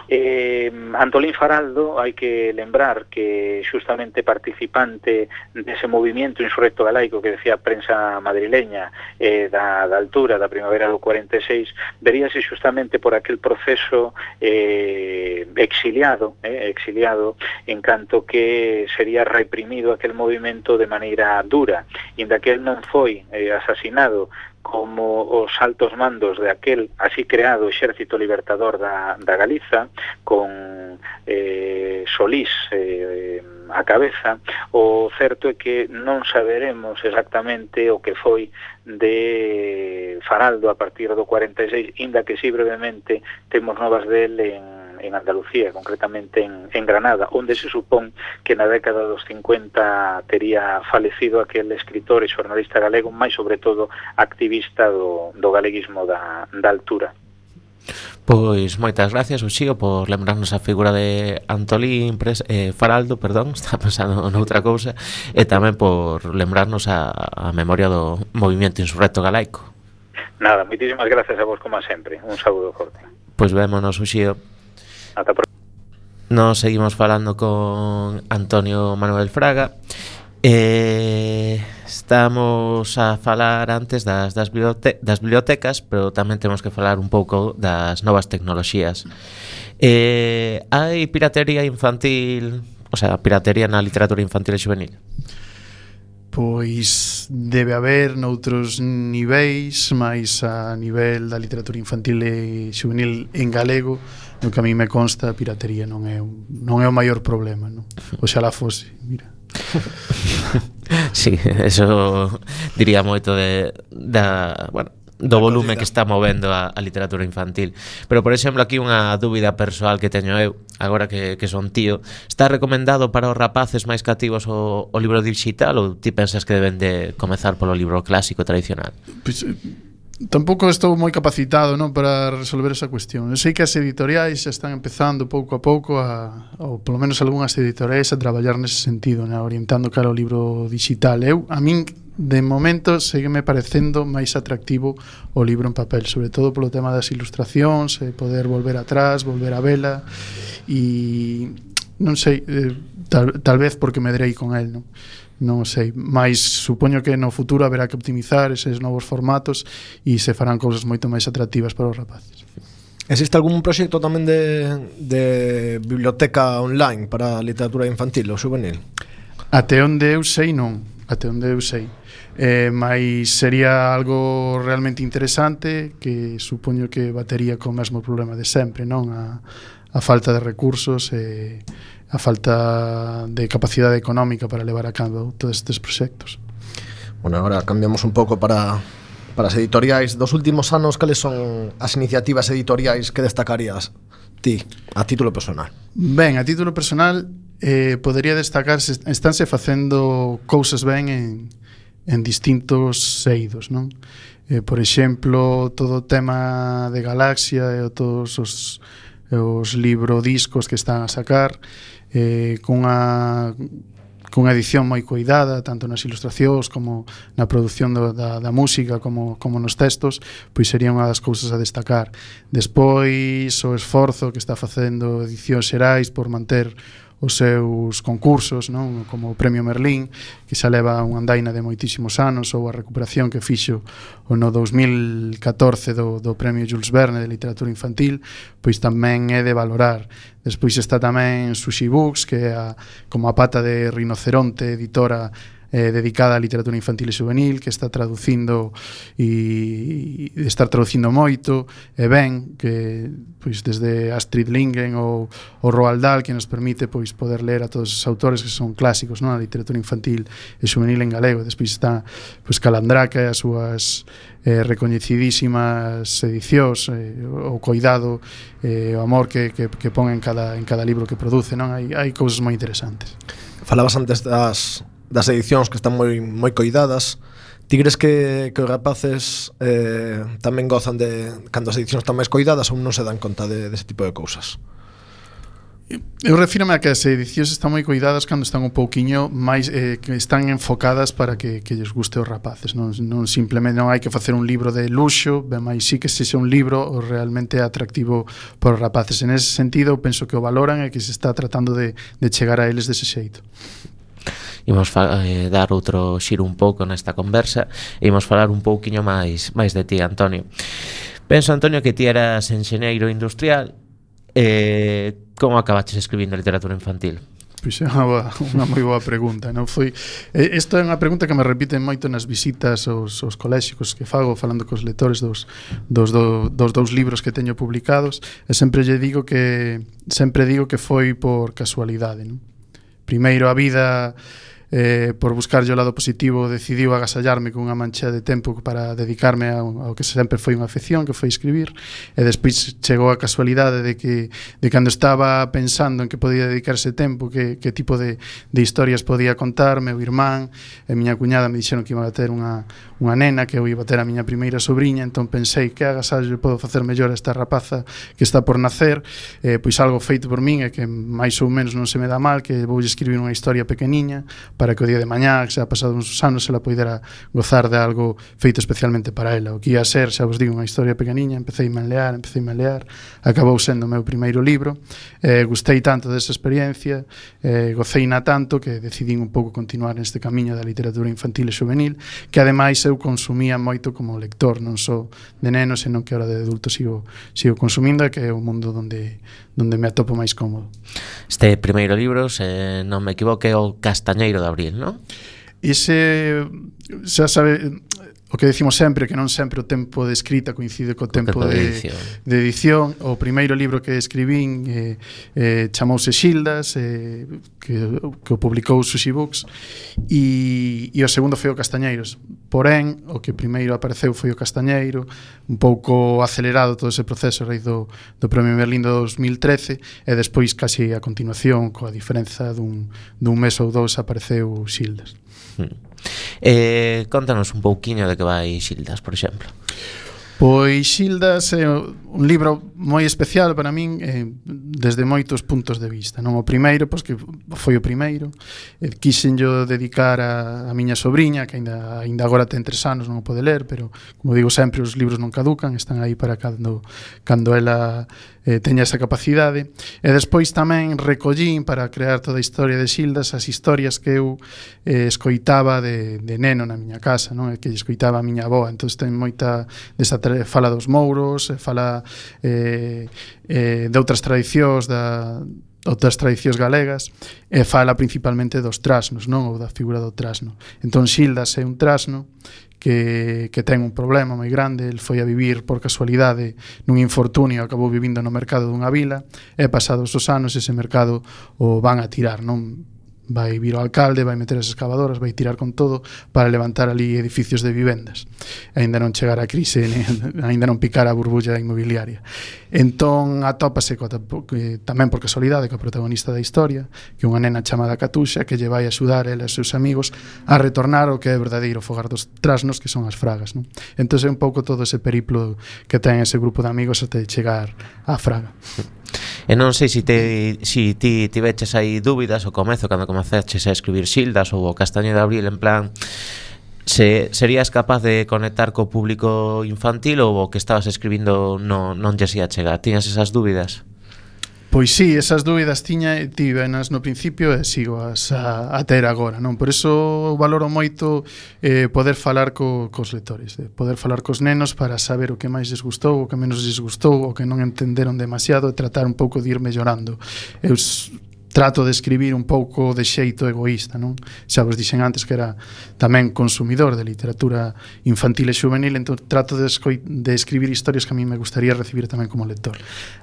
Eh, Antolín Faraldo, hai que lembrar que justamente participante dese movimento insurrecto galaico que decía a prensa madrileña eh, da, da altura da primavera do cuarenta e seis, veríase justamente por aquel proceso eh, exiliado, eh, exiliado, en canto que sería reprimido aquel movimento de maneira dura, e inda que el non foi eh, asasinado como os altos mandos de aquel así creado Exército Libertador da, da Galiza, con eh, Solís eh, a cabeza, o certo é que non saberemos exactamente o que foi de Faraldo a partir do cuarenta e seis, inda que si brevemente temos novas del en en Andalucía, concretamente en, en Granada, onde se supón que na década dos cincuenta tería falecido aquel escritor e xornalista galego, máis sobre todo activista do, do galeguismo da, da altura. Pois moitas gracias, Uxío, por lembrarnos a figura de Antolín Pres, eh, Faraldo, perdón, está pensando noutra cousa, e tamén por lembrarnos a, a memoria do movimento insurrecto galaico. Nada, moitísimas gracias a vos como sempre. Un saúdo forte. Pois vémonos, Uxío. Ata pronto. Nos seguimos falando con Antonio Manuel Fraga. Eh, estamos a falar antes das, das, bibliote- das bibliotecas, pero tamén temos que falar un pouco das novas tecnoloxías. Eh, hai piratería infantil, o sea, piratería na literatura infantil e juvenil? Pois debe haber noutros niveis, máis a nivel da literatura infantil e juvenil en galego, no que a mí me consta, a piratería non é, un, non é o maior problema, non? Oxalá fose, mira. Sí, eso diría moito de da, bueno, do volume que está movendo a, a literatura infantil. Pero, por exemplo, aquí unha dúbida persoal que teño eu, agora que, que son tío, está recomendado para os rapaces máis cativos o, o libro digital, ou ti pensas que deben de comezar polo libro clásico tradicional? Pois, tampouco estou moi capacitado, non, para resolver esa cuestión. Eu sei que as editoriais xa están empezando pouco a pouco a, ou polo menos algunhas editoriais a traballar nese sentido, né, orientando cara ao libro digital. Eu, a min, de momento, seguime parecendo máis atractivo o libro en papel, sobre todo polo tema das ilustracións, e poder volver atrás, volver a vela, e non sei, eh, tal, tal vez porque me drei con el, non? Non sei, mais supoño que no futuro haberá que optimizar eses novos formatos e se farán cousas moito máis atractivas para os rapaces. Existe algún proxecto tamén de, de biblioteca online para a literatura infantil ou juvenil? Até onde eu sei non, até onde eu sei. Eh, mais sería algo realmente interesante que supoño que batería co mesmo problema de sempre, non? A, a falta de recursos e a falta de capacidade económica para levar a cabo todos estes proxectos. Bueno, agora cambiamos un pouco para, para as editoriais. Dos últimos anos, cales son as iniciativas editoriais que destacarías ti, a título personal? Ben, a título personal eh, podería destacarse, estánse facendo cousas ben en, en distintos eidos, non? Eh, por exemplo, todo o tema de Galaxia e todos os, os librodiscos que están a sacar, eh, cunha cunha edición moi cuidada, tanto nas ilustracións como na produción do, da, da música como, como nos textos, pois sería unha das cousas a destacar. Despois, o esforzo que está facendo Edicións Xerais por manter os seus concursos, non? Como o Premio Merlín, que xa leva unha andaina de moitísimos anos, ou a recuperación que fixo o no dous mil catorce do, do Premio Jules Verne de Literatura Infantil, pois tamén é de valorar. Despois está tamén Sushi Books, que é a, como a pata de Rinoceronte, editora eh, dedicada á literatura infantil e juvenil, que está traducindo e, e está traducindo moito, e ben, que pois desde Astrid Lindgren ou o Roald Dahl, que nos permite pois poder ler a todos os autores que son clásicos, non, a literatura infantil e juvenil en galego. Despois está pois Calandraca e as súas eh, recoñecidísimas edicións, eh, o cuidado, eh, o amor que, que, que pon en cada, en cada libro que produce, non? Hai, hai cousas moi interesantes. Falabas antes das, das edicións que están moi, moi coidadas. Ti crees que, que os rapaces eh, tamén gozan de cando as edicións están máis coidadas ou non se dan conta de, dese tipo de cousas? Eu refírome a que as edicións están moi cuidadas cando están un pouquiño máis eh, que están enfocadas para que, que lles guste aos rapaces, non, non simplemente non hai que facer un libro de luxo, ben máis sí que sexa un libro realmente atractivo para os rapaces. En ese sentido, penso que o valoran e que se está tratando de, de chegar a eles dese xeito. Imos fa- eh, dar outro xiro un pouco nesta conversa e imos falar un pouquiño máis máis de ti, Antonio. Penso, Antonio, que ti eras enxeñeiro industrial. Eh, como acabaches escribindo literatura infantil? Pois é unha, boa, unha moi boa pregunta, non foi? Isto é unha pregunta que me repiten moito nas visitas aos, aos coléxicos que fago, falando cos lectores dos, dos, do, dos dous libros que teño publicados, e sempre lle digo que sempre digo que foi por casualidade, non? Primeiro, a vida eh, por buscar o lado positivo, decidiu agasallarme cunha mancha de tempo para dedicarme ao, ao que sempre foi unha afección, que foi escribir, e despois chegou a casualidade de que de cando estaba pensando en que podía dedicarse tempo, que, que tipo de, de historias podía contar, meu irmán e miña cuñada me dixeron que iba a ter unha, unha nena, que eu iba a ter a miña primeira sobrinha, entón pensei que agasallo podo facer mellor a esta rapaza que está por nacer, eh, pois algo feito por min e que máis ou menos non se me dá mal, que vou escribir unha historia pequeniña para que o día de mañá, que xa ha pasado uns anos, se la poidera gozar de algo feito especialmente para ela. O que ia a ser, xa vos digo, unha historia pequeniña, empecei a lear, empecei a lear, acabou sendo o meu primeiro libro, eh, gustei tanto desa experiencia, eh, goceina tanto que decidín un pouco continuar neste camiño da literatura infantil e juvenil, que ademais eu consumía moito como lector, non só de nenos, senón que ahora de adulto sigo, sigo consumindo, e que é o mundo onde, onde me atopo máis cómodo. Este primeiro libro, se non me equivoco, é o Castañeiro de Abril, non? Ese, xa sabe, o que decimos sempre, que non sempre o tempo de escrita coincide co tempo, tempo de, de, edición. de edición. O primeiro libro que escribín eh, eh, chamouse Xildas, eh, que, que o publicou Sushi Books, e, e o segundo foi o Castañeiros. Porén, o que primeiro apareceu foi o Castañeiro, un pouco acelerado todo ese proceso a raíz do, do Premio Merlín do dos mil trece, e despois, casi a continuación, coa diferenza dun, dun mes ou dous, apareceu Xildas. Hmm. Eh, contanos un pouquiño de que vai Xildas, por exemplo. Pois Xildas é un libro moi especial para min, eh, desde moitos puntos de vista, non? O primeiro, pois que foi o primeiro, eh, quixenllo dedicar a, a miña sobrinha, que aínda, aínda agora ten tres anos, non o pode ler, pero, como digo sempre, os libros non caducan, están aí para cando, cando ela eh, teña esa capacidade. E despois tamén recollín, para crear toda a historia de Xildas, as historias que eu eh, escoitaba de, de neno na miña casa, non? E que escoitaba a miña avó. Entón ten moita desa fala dos mouros, fala eh, eh, de outras tradicións da outras tradicións galegas, e fala principalmente dos trasnos, non? Ou da figura do trasno. Entón Xildas é un trasno que, que ten un problema moi grande. El foi a vivir por casualidade nun infortunio, acabou vivindo no mercado dunha vila, e pasados os anos ese mercado o van a tirar, non? Vai vir o alcalde, vai meter as excavadoras, vai tirar con todo para levantar ali edificios de vivendas. Aínda non chegar a crise, aínda non picar a burbulla inmobiliaria. Entón atópase co, que, tamén por casualidade, co protagonista da historia, que é unha nena chamada Catuxa, que lle vai axudar ela e os seus amigos a retornar o que é verdadeiro fogar dos trasnos, que son as fragas, non? Entón é un pouco todo ese periplo que ten ese grupo de amigos até chegar á fraga. E non sei se te, si ti tiveches aí dúbidas ao comezo cando comezaches a escribir Xildas ou o Castaño de Abril, en plan, se serías capaz de conectar co público infantil ou o que estabas escribindo non, non lle ia chegar? Tiñas esas dúbidas? Pois sí, esas dúbidas tiña e tivenas no principio e sigo as a, a ter agora, non? Por iso valoro moito eh, poder falar co, cos lectores, de poder falar cos nenos para saber o que máis les gustou, o que menos les gustou, o que non entenderon demasiado, e tratar un pouco de ir mellorando. Eu trato de escribir un pouco de xeito egoísta, non? Xa vos dixen antes que era tamén consumidor de literatura infantil e juvenil, entón trato de, de escribir historias que a mí me gustaría recibir tamén como lector.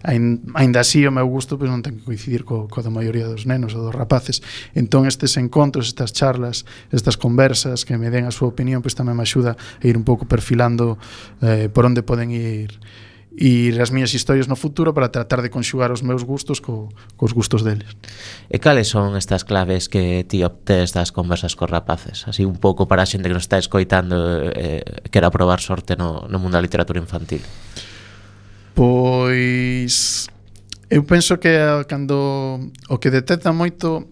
Ainda así, o meu gusto pois, non ten que coincidir co, co da maioría dos nenos ou dos rapaces. Entón estes encontros, estas charlas, estas conversas que me den a súa opinión, pois tamén me axuda a ir un pouco perfilando eh, por onde poden ir e as miñas historias no futuro, para tratar de conxugar os meus gustos co, cos gustos deles. E cales son estas claves que ti obtés das conversas cos rapaces? Así un pouco para a xente que nos está escoitando eh, quera probar sorte no, no mundo da literatura infantil. Pois eu penso que cando o que detecta moito,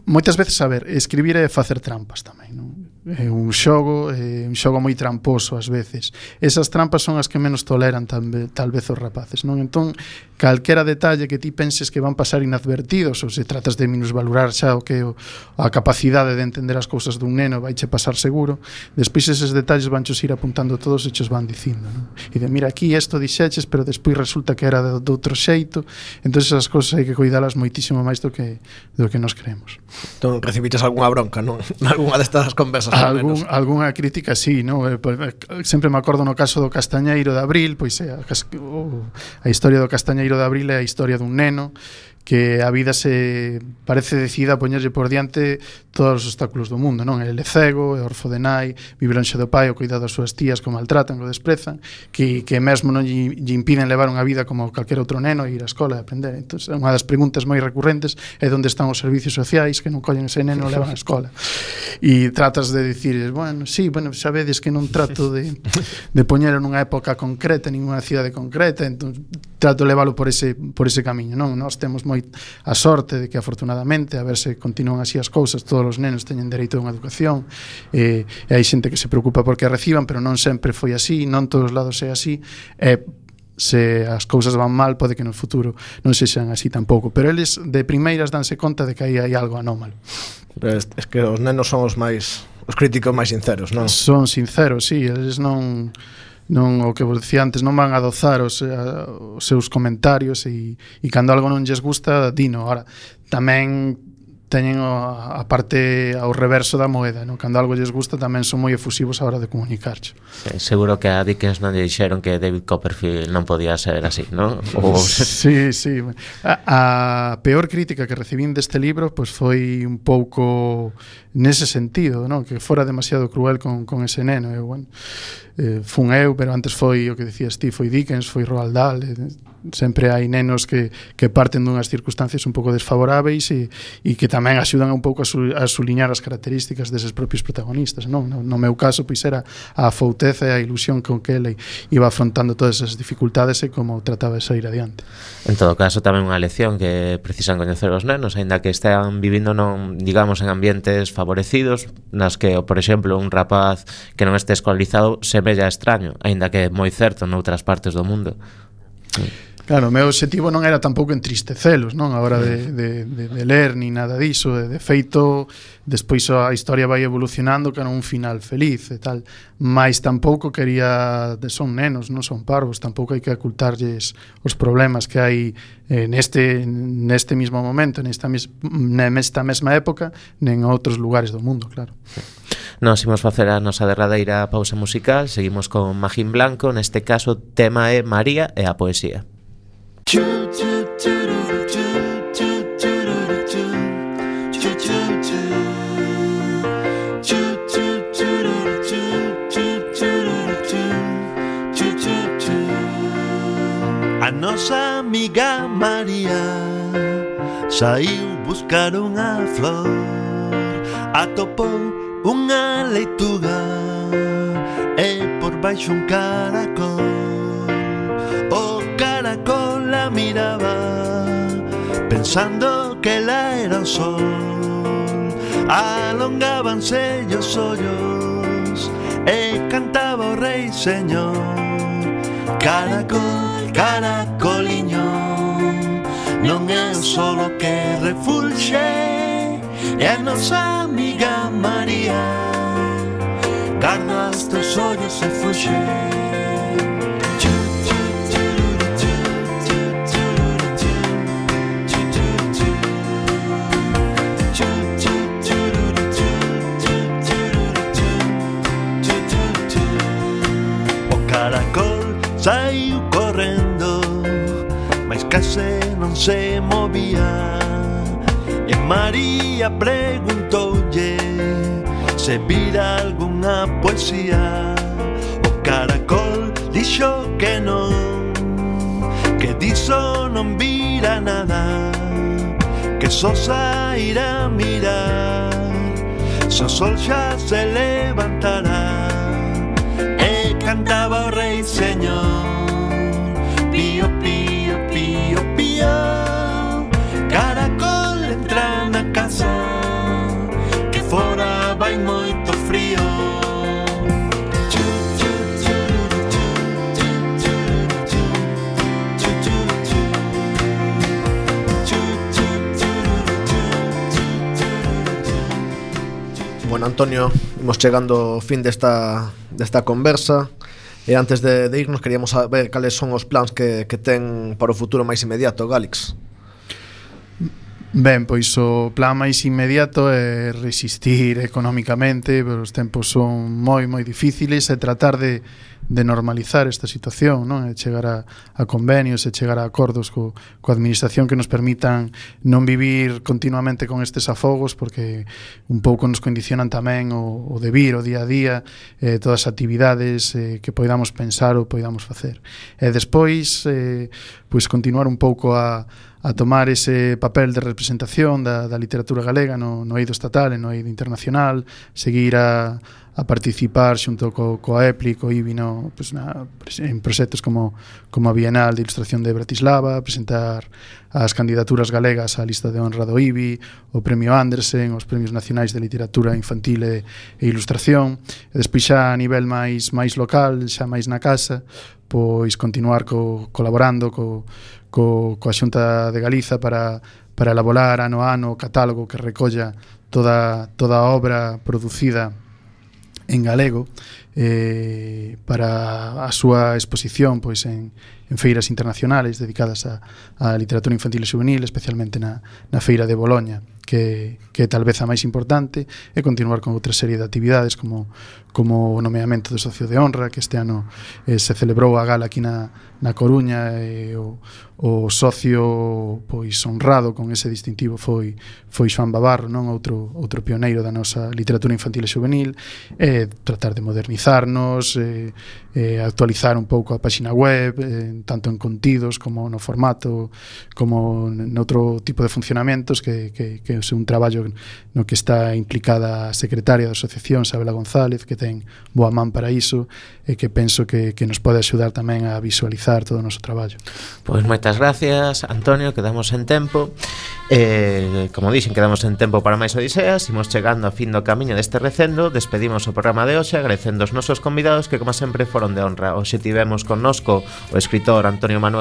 moitas veces, a ver, escribir é facer trampas tamén, non? É un xogo, é un xogo moi tramposo ás veces. Esas trampas son as que menos toleran tambe, tal vez os rapaces, non? Entón, calquera detalle que ti penses que van pasar inadvertidos, ou se tratas de minusvalorar xa o que o, a capacidade de entender as cousas dun neno, vai che pasar seguro. Despois eses detalles vanchos ir apuntando todos e chos van dicindo, non? E de, mira, aquí isto dixeches, pero despois resulta que era de, de outro xeito. Entón, esas cousas hai que cuidalas moitísimo máis do que, do que nos creemos. Entón, recibites algunha bronca, non? Algúnha destas conversas? Algún, algunha crítica, sí, no? Eh, sempre me acordo no caso do Castañeiro de Abril, pois é, a, a historia do Castañeiro de Abril é a historia dun neno que a vida se parece decida a poñerlle por diante todos os obstáculos do mundo, non? Ele é cego, é orfo de nai, vive lonxe do pai, o cuidado das súas tías que o maltratan, o desprezan, que, que mesmo non lle, lle impiden levar unha vida como calquer outro neno e ir á escola e aprender. Entón, unha das preguntas moi recurrentes é onde están os servicios sociais que non collen ese neno e o levan á escola. E tratas de dicir, bueno, sí, bueno, xa vedes que non trato de, de poñelo nunha época concreta, ninguna cidade concreta, entón trato de leválo por ese, por ese camiño, non? Nós temos moi a sorte de que afortunadamente a ver se continúan así as cousas, todos os nenos teñen dereito a unha educación e, e hai xente que se preocupa porque a reciban, pero non sempre foi así, non todos os lados é así, e se as cousas van mal pode que no futuro non sexan así tampouco, pero eles de primeiras danse conta de que aí hai algo anómalo. Pero es, es que os nenos son os máis os críticos máis sinceros, non? Son sinceros, sí, eles non non o que vos dicía antes, non van a adozar os, a, os seus comentarios e, e cando algo non lles gusta, dino. Ahora, tamén teñen a, a parte ao reverso da moeda, non? Cando algo lles gusta tamén son moi efusivos a hora de comunicarche. Eh, seguro que a Dickens non lle dixeron que David Copperfield non podía ser así, non? O... Sí, sí. A, a peor crítica que recibín deste libro pois foi un pouco nese sentido, non? Que fora demasiado cruel con, con ese neno. Eu, bueno, eh, fun eu, pero antes foi o que decías ti, foi Dickens, foi Roald Dahl. Eh, sempre hai nenos que, que parten dunhas circunstancias un pouco desfavoráveis e, e que tamén axudan un pouco a, su, a suliñar as características deses propios protagonistas, non? No, no meu caso, pois era a afouteza e a ilusión con que ele iba afrontando todas esas dificultades e como trataba de sair adiante. En todo caso, tamén unha lección que precisan coñecer os nenos, aínda que estean vivindo non, digamos, en ambientes favorecidos, nas que, por exemplo, un rapaz que non este escolarizado semella extraño, aínda que é moi certo noutras partes do mundo. Claro, o meu objetivo non era tampouco entristecelos, non? A hora de, de, de, de ler, ni nada diso. De, de feito, despois a historia vai evolucionando cara un final feliz e tal. Mais tampouco quería... De, son nenos, non son parvos. Tampouco hai que ocultarlles os problemas que hai eh, neste, neste mismo momento, nesta, mes, nesta mesma época, nen outros lugares do mundo, claro. Nos imos facer a nosa derradeira pausa musical. Seguimos con Magín Blanco. Neste caso, tema é María e a poesía. A nosa amiga María saiu buscar unha flor, atopou unha leituga e por baixo un caracol. O caracol la miraba pensando que ela era o sol. Alongábanse os ollos e cantaba o rei señor. Caracol, caracoliño, non é o solo que refulxe, é a nosa amiga María. Garda os teus ollos e fuxe. Saiu correndo, mas case non se movía. E María preguntoulle se vira algunha poesía. O caracol dixo que non, que diso non vira nada, que só sairá a mirar se o sol xa se levantará. E cantaba o rei señor, pío, pío, pío, pío. Caracol entra na casa, que fora vai moito frío. Bueno, Antonio, imos chegando ao fin desta, desta conversa. E antes de, de irnos, queríamos saber cales son os plans que, que ten para o futuro máis inmediato, Gálix. Ben, pois o plan máis inmediato é resistir económicamente, pero os tempos son moi, moi difíciles, e tratar de, de normalizar esta situación, non? E chegar a, a convenios e chegar a acordos co, coa administración que nos permitan non vivir continuamente con estes afogos, porque un pouco nos condicionan tamén o, o de vir o día a día, eh, todas as actividades eh, que poidamos pensar ou poidamos facer. E despois, eh, pois continuar un pouco a a tomar ese papel de representación da, da literatura galega no, no eido estatal e no eido internacional, seguir a, a participar xunto co, coa E P L I, co I B I, no, pues na, en proxectos como, como a Bienal de Ilustración de Bratislava, presentar as candidaturas galegas á lista de honra do I B I, o Premio Andersen, os Premios Nacionais de Literatura Infantil e, e Ilustración, e despois xa a nivel máis, máis local, xa máis na casa, pois continuar co, colaborando co, co, coa Xunta de Galiza para, para elaborar ano a ano o catálogo que recolla toda, toda a obra producida en galego, eh, para a súa exposición pois en, en feiras internacionales dedicadas a, a literatura infantil e juvenil, especialmente na, na feira de Boloña, que, que é tal vez a máis importante, e continuar con outra serie de actividades como, como o nomeamento do socio de honra, que este ano eh, se celebrou a gala aquí na, na Coruña, e o, o socio pois honrado con ese distintivo foi, foi Xoán Babarro, non? Outro, outro pioneiro da nosa literatura infantil e juvenil, e tratar de modernizarnos, e, e actualizar un pouco a páxina web, e, tanto en contidos como no formato, como noutro tipo de funcionamentos, que, que, que é un traballo no que está implicada a secretaria da asociación, Sabela González, que ten boa man para iso, e que penso que, que nos pode axudar tamén a visualizar todo o noso traballo. Pois moitas gracias, Antonio, quedamos en tempo. Eh, como dixen, quedamos en tempo para máis odiseas. Imos chegando a fin do camiño deste recendo. Despedimos o programa de hoxe agradecendo os nosos convidados, que como sempre foron de honra. Hoxe tivemos connosco o escritor Antonio Manuel